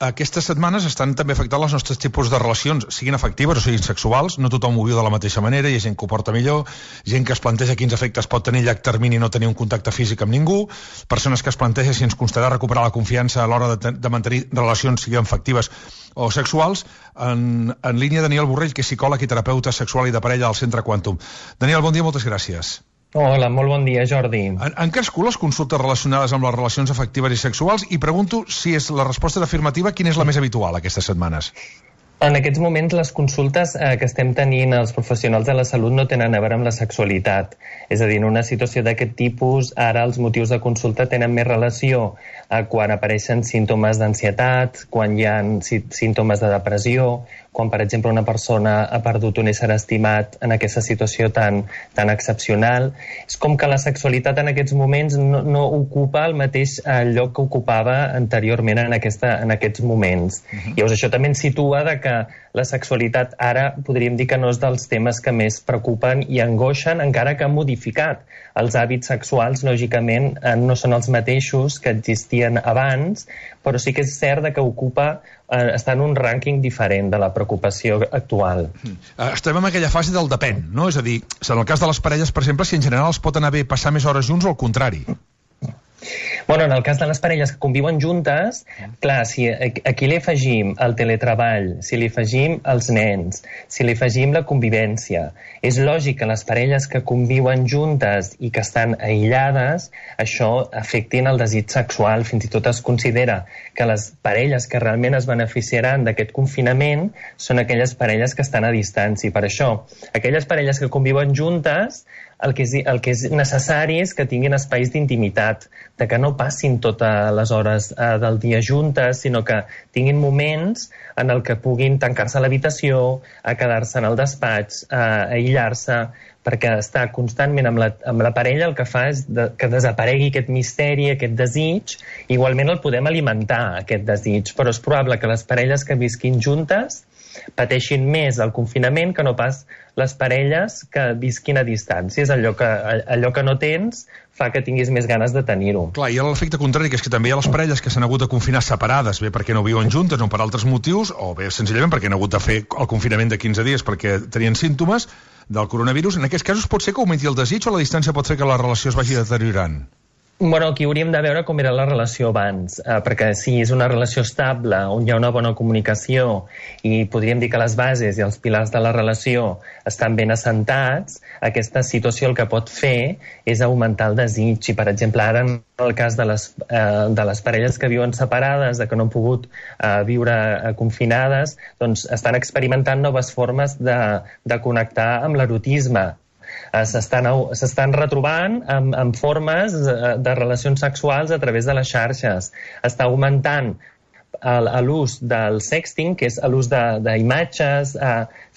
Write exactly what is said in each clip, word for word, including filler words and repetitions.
aquestes setmanes estan també afectant els nostres tipus de relacions, siguin afectives o siguin sexuals. No tothom ho viu de la mateixa manera, hi ha gent que ho porta millor, gent que es planteja quins efectes pot tenir a llarg termini no tenir un contacte físic amb ningú, persones que es planteja si ens costarà recuperar la confiança a l'hora de, de mantenir relacions, siguin afectives o sexuals. En, en línia, Daniel Borrell, que és psicòleg i terapeuta sexual i de parella al Centre Quantum. Daniel, bon dia, moltes gràcies. Hola, molt bon dia, Jordi. Han, han crescut les consultes relacionades amb les relacions afectives i sexuals i pregunto si és la resposta afirmativa, quina és la més habitual aquestes setmanes? En aquests moments les consultes eh, que estem tenint els professionals de la salut no tenen a veure amb la sexualitat. És a dir, en una situació d'aquest tipus, ara els motius de consulta tenen més relació a quan apareixen símptomes d'ansietat, quan hi ha sí, símptomes de depressió, quan, per exemple, una persona ha perdut un ésser estimat en aquesta situació tan, tan excepcional. És com que la sexualitat en aquests moments no, no ocupa el mateix eh, lloc que ocupava anteriorment en, aquesta, en aquests moments. Uh-huh. Llavors, això també ens situa de que la sexualitat ara podríem dir que no és dels temes que més preocupen i angoixen, encara que ha modificat. Els hàbits sexuals, lògicament, eh, no són els mateixos que existien abans, però sí que és cert que ocupa, eh, està en un rànquing diferent de la preocupació actual. Estem en aquella fase del depèn, no? És a dir, en el cas de les parelles, per exemple, si en general els pot anar bé passar més hores junts o al contrari? Bueno, en el cas de les parelles que conviuen juntes, clar, si aquí li afegim el teletreball, si li afegim els nens, si li afegim la convivència, és lògic que les parelles que conviuen juntes i que estan aïllades, això afectin el desig sexual. Fins i tot es considera que les parelles que realment es beneficiaran d'aquest confinament són aquelles parelles que estan a distància. Per això, aquelles parelles que conviuen juntes, el que, és, el que és necessari és que tinguin espais d'intimitat, de que no passin totes les hores eh, del dia juntes, sinó que tinguin moments en el que puguin tancar-se a l'habitació, a quedar-se en el despatx, a aïllar-se, perquè estar constantment amb la, amb la parella el que fa és de, que desaparegui aquest misteri, aquest desig. Igualment el podem alimentar, aquest desig, però és probable que les parelles que visquin juntes pateixin més el confinament que no pas les parelles que visquin a distància. És allò que, allò que no tens fa que tinguis més ganes de tenir-ho. Clar, hi ha l'efecte contrari, que és que també hi ha les parelles que s'han hagut de confinar separades, bé perquè no viuen juntes o per altres motius, o bé senzillament perquè han hagut de fer el confinament de quinze dies perquè tenien símptomes del coronavirus. En aquests casos pot ser que augmenti el desig o la distància pot fer que la relació es vagi deteriorant? Bueno, aquí hauríem de veure com era la relació abans, eh, perquè si és una relació estable, on hi ha una bona comunicació i podríem dir que les bases i els pilars de la relació estan ben assentats, aquesta situació el que pot fer és augmentar el desig. I, per exemple, ara en el cas de les, eh, de les parelles que viuen separades, de que no han pogut eh, viure eh, confinades, doncs estan experimentant noves formes de, de connectar amb l'erotisme. S'estan retrobant amb, amb formes de relacions sexuals a través de les xarxes. Està augmentant l'ús del sexting, que és l'ús d'imatges,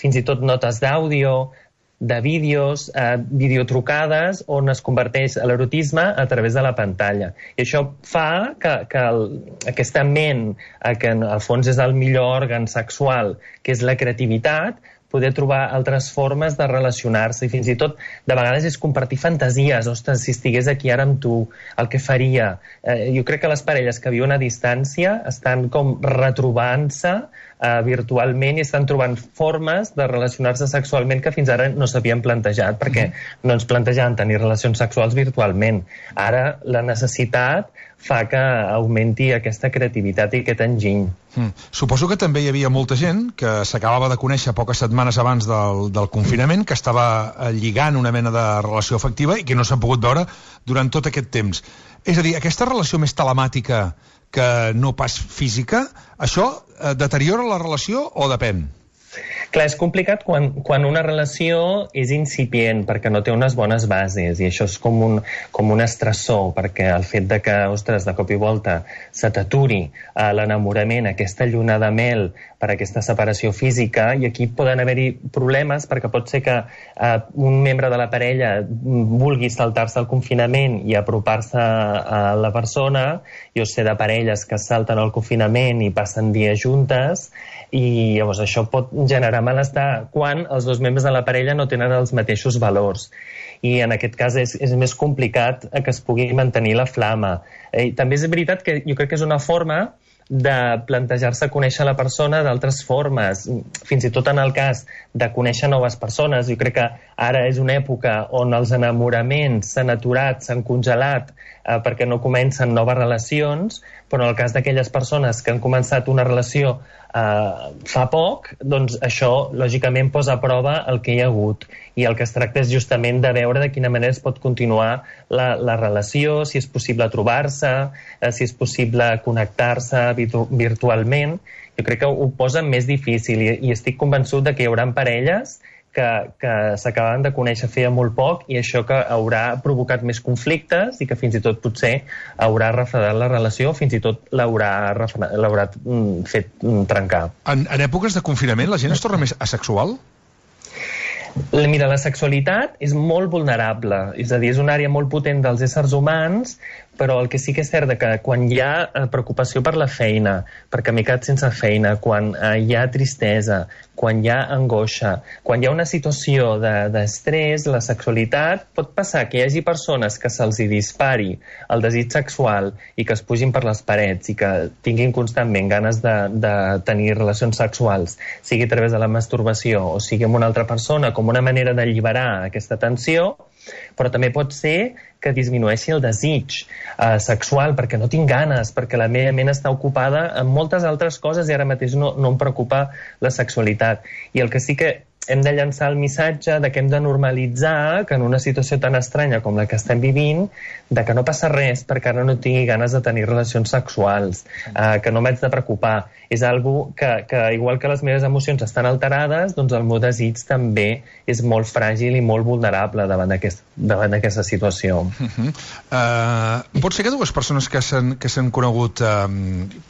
fins i tot notes d'àudio, de vídeos, eh, videotrucades, on es converteix l'erotisme a través de la pantalla. I això fa que, que el, aquesta ment, eh, que en el fons és el millor òrgan sexual, que és la creativitat, poder trobar altres formes de relacionar-se i fins i tot de vegades és compartir fantasies. Ostres, si estigués aquí ara amb tu, el que faria. Eh, jo crec que les parelles que viuen a distància estan com retrobant-se eh, virtualment i estan trobant formes de relacionar-se sexualment que fins ara no s'havien plantejat, perquè no ens plantejaven tenir relacions sexuals virtualment. Ara la necessitat fa que augmenti aquesta creativitat i aquest enginy. Mm. Suposo que també hi havia molta gent que s'acabava de conèixer poques setmanes abans del, del confinament, que estava lligant una mena de relació afectiva i que no s'han pogut veure durant tot aquest temps. És a dir, aquesta relació més telemàtica que no pas física, això eh, deteriora la relació o depèn? Clar, és complicat quan, quan una relació és incipient perquè no té unes bones bases i això és com un, com un estressor, perquè el fet de que, ostres, de cop i volta se t'aturi eh, l'enamorament, aquesta lluna de mel per aquesta separació física, i aquí poden haver-hi problemes perquè pot ser que eh, un membre de la parella vulgui saltar-se el confinament i apropar-se a la persona. Jo sé de parelles que salten el confinament i passen dies juntes i llavors això pot generar malestar quan els dos membres de la parella no tenen els mateixos valors. I en aquest cas és, és més complicat que es pugui mantenir la flama. Eh, també és veritat que jo crec que és una forma de plantejar-se conèixer la persona d'altres formes, fins i tot en el cas de conèixer noves persones. Jo crec que ara és una època on els enamoraments s'han aturat, s'han congelat, eh, perquè no comencen noves relacions, però en el cas d'aquelles persones que han començat una relació eh, fa poc, doncs això lògicament posa a prova el que hi ha hagut, i el que es tracta és justament de veure de quina manera es pot continuar la, la relació, si és possible trobar-se, eh, si és possible connectar-se virtu virtualment. Jo crec que ho posa més difícil, i, i estic convençut de que hi haurà parelles que, que s'acaben de conèixer feia molt poc, i això que haurà provocat més conflictes i que fins i tot potser haurà refredat la relació, fins i tot l'haurà fet trencar. En, en èpoques de confinament la gent es torna més asexual? Mira, la sexualitat és molt vulnerable, és a dir, és una àrea molt potent dels éssers humans, però el que sí que és cert que quan hi ha preocupació per la feina, perquè m'he quedat sense feina, quan hi ha tristesa, quan hi ha angoixa, quan hi ha una situació d'estrès, la sexualitat pot passar que hi hagi persones que se'ls dispari el desig sexual i que es pugin per les parets i que tinguin constantment ganes de, de tenir relacions sexuals, sigui a través de la masturbació o sigui amb una altra persona, com una manera d'alliberar aquesta tensió, però també pot ser que disminueixi el desig eh, sexual, perquè no tinc ganes, perquè la meva ment està ocupada amb moltes altres coses i ara mateix no, no em preocupa la sexualitat. I el que sí que hem de llançar el missatge de que hem de normalitzar que en una situació tan estranya com la que estem vivint, de que no passa res perquè ara no tingui ganes de tenir relacions sexuals, eh, que no m'haig de preocupar. És algo que, que, igual que les meves emocions estan alterades, doncs el meu desig també és molt fràgil i molt vulnerable davant d'aquesta situació. Uh -huh. uh, pot ser que dues persones que s'han conegut uh,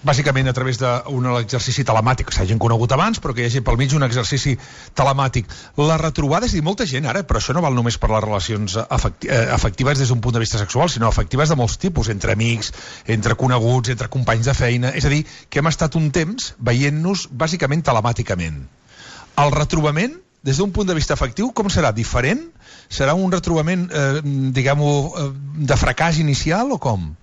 bàsicament a través d'un exercici telemàtic, s'hagin conegut abans, però que hi hagi pel mig un exercici telemàtic, la retrobada, és dir, molta gent ara, però això no val només per les relacions afecti afectives des d'un punt de vista sexual, sinó afectives de molts tipus, entre amics, entre coneguts, entre companys de feina. És a dir, que hem estat un temps veient-nos bàsicament telemàticament. El retrobament, des d'un punt de vista afectiu, com serà? Diferent? Serà un retrobament, eh, diguem-ho, de fracàs inicial o com?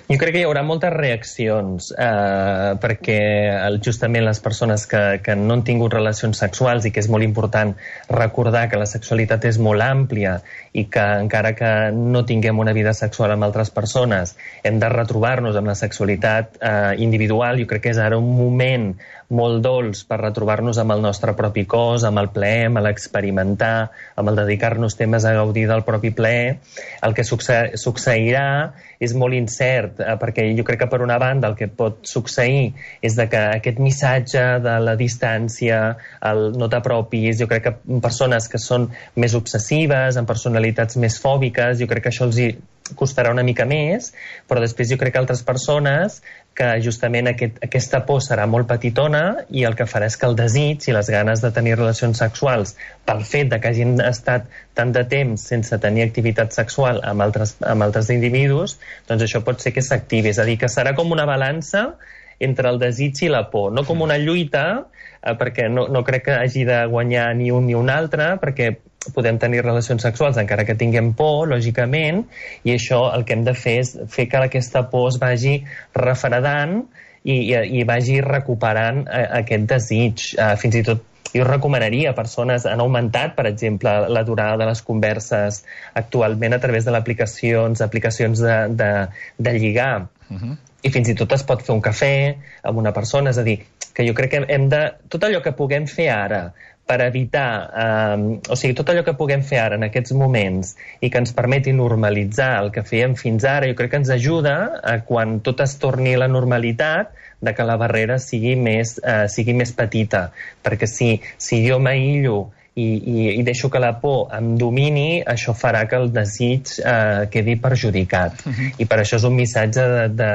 Jo crec que hi haurà moltes reaccions, eh, perquè justament les persones que, que no han tingut relacions sexuals, i que és molt important recordar que la sexualitat és molt àmplia i que encara que no tinguem una vida sexual amb altres persones, hem de retrobar-nos amb la sexualitat eh, individual. Jo crec que és ara un moment molt dolç per retrobar-nos amb el nostre propi cos, amb el plaer, amb l'experimentar, amb el dedicar-nos temes a gaudir del propi plaer. El que succe succeirà és molt incert, eh, perquè jo crec que per una banda el que pot succeir és de que aquest missatge de la distància, el no t'apropis, jo crec que persones que són més obsessives, amb personalitats més fòbiques, jo crec que això els hi costarà una mica més, però després jo crec que altres persones que justament aquest, aquesta por serà molt petitona i el que farà és que el desig i les ganes de tenir relacions sexuals, pel fet de que hagin estat tant de temps sense tenir activitat sexual amb altres, amb altres individus, doncs això pot ser que s'activi. És a dir, que serà com una balança entre el desig i la por, no com una lluita, eh, perquè no, no crec que hagi de guanyar ni un ni un altre, perquè podem tenir relacions sexuals encara que tinguem por, lògicament, i això el que hem de fer és fer que aquesta por es vagi refredant i, i, i vagi recuperant aquest desig. Uh, fins i tot jo recomanaria a persones, han augmentat, per exemple, la durada de les converses actualment a través de l'aplicacions, aplicacions de, de, de lligar. Uh-huh. I fins i tot es pot fer un cafè amb una persona, és a dir, que jo crec que hem de... Tot allò que puguem fer ara per evitar, eh, o sigui, tot allò que puguem fer ara en aquests moments i que ens permeti normalitzar el que fèiem fins ara, jo crec que ens ajuda a quan tot es torni a la normalitat, de que la barrera sigui més, eh, sigui més petita, perquè si, si jo m'aïllo i, i, i deixo que la por em domini, això farà que el desig eh, quedi perjudicat. Uh-huh. I per això és un missatge de, de,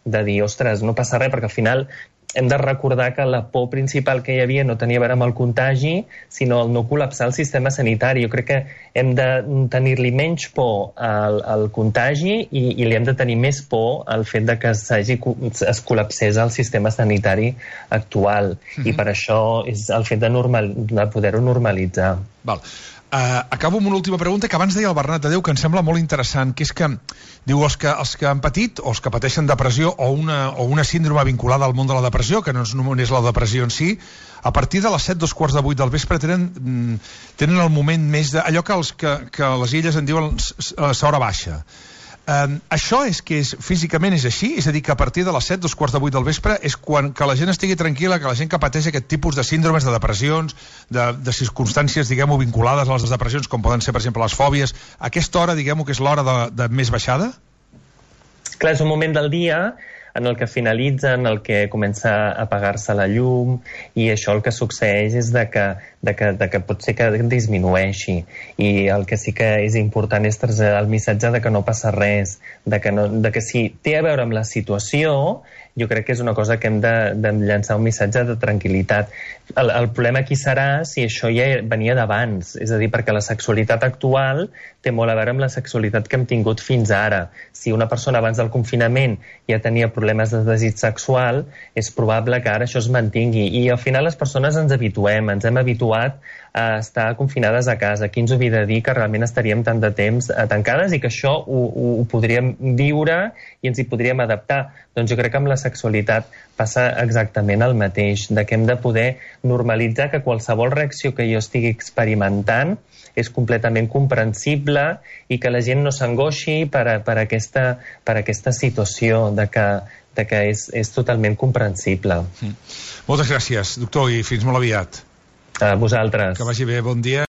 de dir, ostres, no passa res, perquè al final hem de recordar que la por principal que hi havia no tenia a veure amb el contagi, sinó el no col·lapsar el sistema sanitari. Jo crec que hem de tenir-li menys por al, al contagi i, i li hem de tenir més por al fet de que es col·lapsés el sistema sanitari actual. Mm-hmm. I per això és el fet de, normal, de poder-ho normalitzar. Val. Uh, acabo amb una última pregunta que abans deia el Bernat Adéu, que em sembla molt interessant, que és que, diu, els que, els que han patit o els que pateixen depressió o una, o una síndrome vinculada al món de la depressió, que no és només la depressió en si, a partir de les set, dos quarts de vuit del vespre tenen, tenen el moment més de... allò que, els, que, que les illes en diuen l'hora baixa. Um, això és que és, físicament és així? És a dir, que a partir de les set, dos quarts de vuit del vespre és quan que la gent estigui tranquil·la, que la gent que pateix aquest tipus de síndromes, de depressions, de, de circumstàncies, diguem-ho, vinculades a les depressions, com poden ser, per exemple, les fòbies, a aquesta hora, diguem-ho, que és l'hora de, de més baixada? Clar, és un moment del dia en el que finalitza, en el que comença a apagar-se la llum, i això el que succeeix és de que, de que, de que pot ser que disminueixi. I el que sí que és important és traslladar el missatge de que no passa res, de que, no, de que si té a veure amb la situació, jo crec que és una cosa que hem de, de llançar un missatge de tranquil·litat. El, el problema aquí serà si això ja venia d'abans, és a dir, perquè la sexualitat actual té molt a veure amb la sexualitat que hem tingut fins ara. Si una persona abans del confinament ja tenia problemes de desig sexual, és probable que ara això es mantingui. I al final les persones ens habituem, ens hem habituat a estar confinades a casa. Qui ens ho havia de dir que realment estaríem tant de temps tancades i que això ho, ho, ho podríem viure i ens hi podríem adaptar? Doncs jo crec que amb la sexualitat passa exactament el mateix, de que hem de poder normalitzar que qualsevol reacció que jo estigui experimentant és completament comprensible i que la gent no s'angoixi per, a, per, aquesta, per aquesta situació, de que, de que és, és totalment comprensible. Mm. Moltes gràcies, doctor, i fins molt aviat. A vosaltres. Que vagi bé, bon dia.